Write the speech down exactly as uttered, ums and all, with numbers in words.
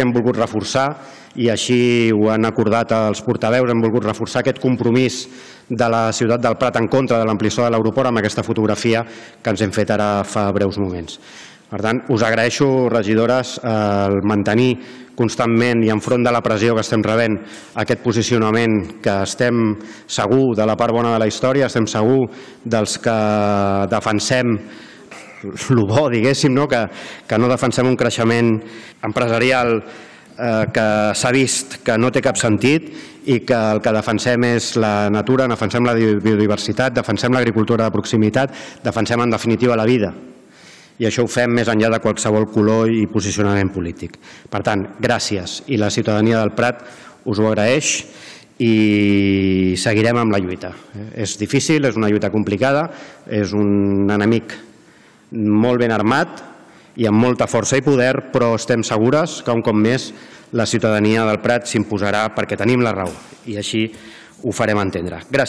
hem volgut reforçar, i així ho han acordat els portaveus, hem volgut reforçar aquest compromís de la ciutat del Prat en contra de l'ampliació de l'aeroport amb aquesta fotografia que ens hem fet ara fa breus moments. Per tant, us agraeixo, regidores, el mantenir constantment i enfront de la pressió que estem rebent aquest posicionament que estem segur de la part bona de la història, estem segur dels que defensem el bo, diguéssim, que no defensem un creixement empresarial que s'ha vist que no té cap sentit i que el que defensem és la natura, defensem la biodiversitat, defensem l'agricultura de proximitat, defensem en definitiva la vida. I això ho fem més enllà de qualsevol color i posicionament polític. Per tant, gràcies. I la ciutadania del Prat us ho agraeix i seguirem amb la lluita. És difícil, és una lluita complicada, és un enemic molt ben armat i amb molta força i poder, però estem segures que un cop més la ciutadania del Prat s'imposarà perquè tenim la raó i així ho farem entendre. Gràcies.